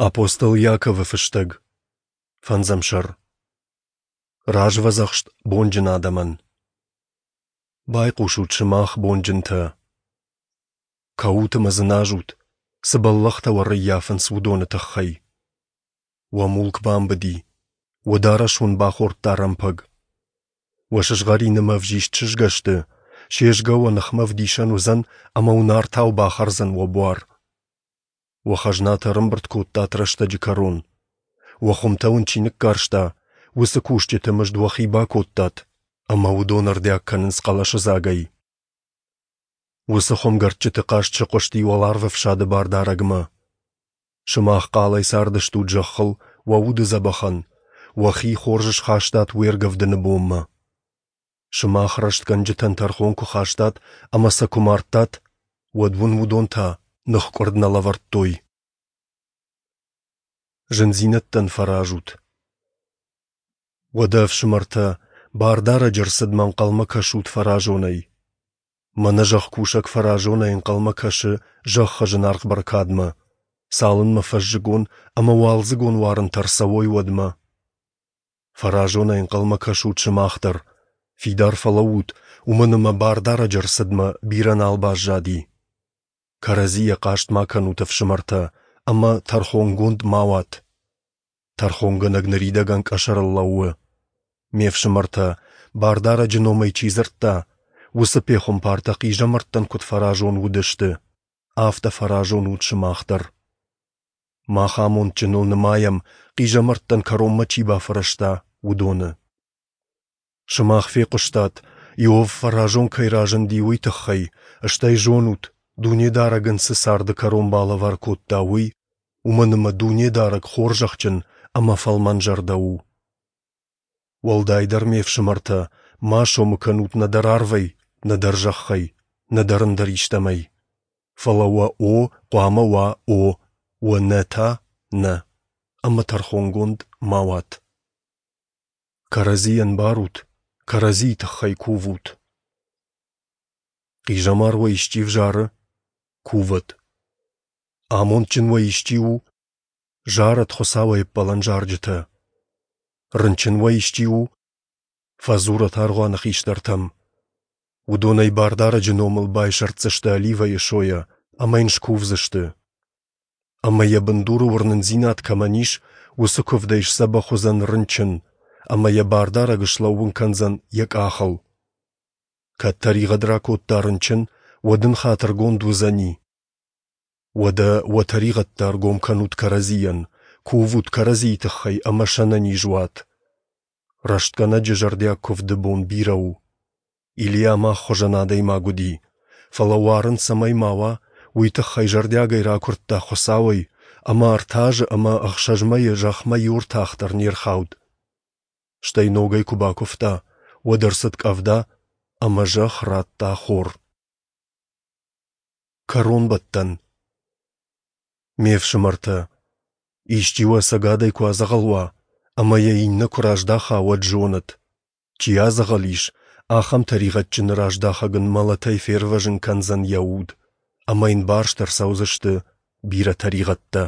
Апостол Иаковы фыстӕг, фӕндзӕм сӕр. Развӕдзӕхст бонджын адӕмӕн. Байхъусут сымах, бонджынтӕ. Кӕут ӕмӕ дзыназут, цы бӕллӕхтӕ уӕ ӕрӕййафынц, уыдоны тыххӕй. Уӕ мулк бамбыди, уӕ дарӕс уын бахордта рӕмпӕг. Уӕ сызгъӕрин ӕмӕ ӕвзист сызгӕ сты, се згӕ уӕ ныхмӕ ӕвдисӕн уыдзӕн ӕмӕ уын артау бахӕрдзӕн уӕ буар. Уӕ хӕзнатӕ ӕрӕмбырд кодтат рӕстӕджы кӕрон. Уӕ хуымтӕ уын чи ныккарста, уыцы кусджыты мызд уӕхи бакодтат, ӕмӕ уыдон ӕрдиаг кӕнынц хъӕлӕсыдзагӕй. Уыцы хуымгӕрдджыты хъаст сыхъуысти уӕларвӕфсады Бардарӕгмӕ. Сымах хъалӕй цардыстут зӕххыл уӕ уды дзӕбӕхӕн, уӕхи хорз схастат уе ргӕвдыны бонмӕ. Сымах рӕстгӕнджытӕн тӕрхон куы хастат ӕмӕ сӕ куы мардтат, уӕд уын уыдон та ныхкъуырд нӕ лӕвӕрдтой. Зындзинӕдтӕн фӕразут. Уӕдӕ, ӕфсымӕртӕ, Бардарӕджы ӕрцыдмӕ ӕнхъӕлмӕ кӕсут фӕразонӕй. Мӕнӕ зӕхкусӕг фӕразонӕй ӕнхъӕлмӕ кӕсы зӕххы зынаргъ бӕркадмӕ, цалынмӕ фӕззыгон ӕмӕ уалдзыгон уарынтӕ ӕрцӕуой, уӕдмӕ. Фӕразонӕй ӕнхъӕлмӕ кӕсут сымах дӕр, фидар фӕлӕуут, уымӕн ӕмӕ Бардарӕджы ӕрцыдмӕ бирӕ нал баззади. Кӕрӕдзийӕ хъаст ма кӕнут, ӕфсымӕртӕ, ӕмӕ тӕрхонгонд ма уат. Тӕрхонгӕнӕг ныридӕгӕн къӕсӕрыл лӕууы. Ме фсымӕртӕ, Бардарӕджы номӕй чи дзырдта, уыцы пехуымпартӕ хъизӕмӕрттӕн куыд фӕразон уыдысты, афтӕ фӕразон ут сымах дӕр. Мах амондджыныл нымайӕм, хъизӕмӕрттӕн кӕронмӕ чи бафӕрӕзта, уыдоны. Сымах фехъуыстат, Иов фӕразон кӕй разынди, уый тыххӕй, стӕй зонут, Дунедарӕг ын цы царды кӕрон балӕвар кодта, уый, уымӕн ӕмӕ Дунедарӕг хорзӕхджын ӕмӕ фӕлмӕнзӕрдӕ у. Уӕлдайдӕр, ме фсымӕртӕ, ма сомы кӕнут нӕдӕр арвӕй, нӕдӕр зӕххӕй, нӕдӕр ӕндӕр истӕмӕй. Фӕлӕ уӕ «о» хъуамӕ уа «о», уӕ «нӕ» та «нӕ», ӕмӕ тӕрхонгонд ма уат. Кӕрӕдзийӕн барут, кӕрӕдзийы тыххӕй кувут. Хъизӕмар уӕ исчи взары? Кувӕд. Амондджын уӕ исчи у? Зарӕд Хуыцауӕй ӕппӕлӕн зарджытӕ. Рынчын уӕ исчи у? Фӕдзурӕд аргъуаны хистӕртӕм. Уыдон ӕй Бардарӕджы номыл байсӕрддзысты оливӕйы сойӕ ӕмӕ йын скувдзысты. Ӕмӕ йӕ бындуры уырнындзинад кӕмӕн ис, уыцы куывдӕй сдзӕбӕх уыдзӕн рынчын, ӕмӕ йӕ Бардарӕг слӕууын кӕндзӕн йӕ къахыл. Кӕд тӕригъӕд ракодта рынчын, уӕд ын хатыргонд уыдзӕни. Уӕдӕ уӕ тӕригъӕдтӕ ӕргом кӕнут кӕрӕдзийӕн, кувут кӕрӕдзийы тыххӕй ӕмӕ сӕнӕниз уат. Рӕстгӕнӕджы зӕрдиаг куывды бон бирӕ у. Илийа мах хуызӕн адӕймаг уыди, фӕлӕ уарын цӕмӕй ма уа, уый тыххӕй зӕрдиагӕй ракуырдта Хуыцауӕй, ӕмӕ ӕртӕ азы ӕмӕ ӕхсӕз мӕйы зӕхмӕ иу ӕртах дӕр не рхауд. Стӕй ногӕй куы бакуывта, уӕд ӕрцыд къӕвда, ӕмӕ зӕхх радта хор. Кӕронбӕттӕн. Ме фсымӕртӕ, исчи уӕ ӕцӕгадӕй куы адзӕгъӕл уа, ӕмӕ йӕ иннӕ куы раздаха, уӕд зонӕд, чи адзӕгъӕл ис, ахӕм тӕригъӕдджыны раздахӕг ын мӕлӕтӕй фервӕзын кӕндзӕн йӕ уд, ӕмӕ йын барст ӕрцӕудзысты бирӕ тӕригъӕдтӕ.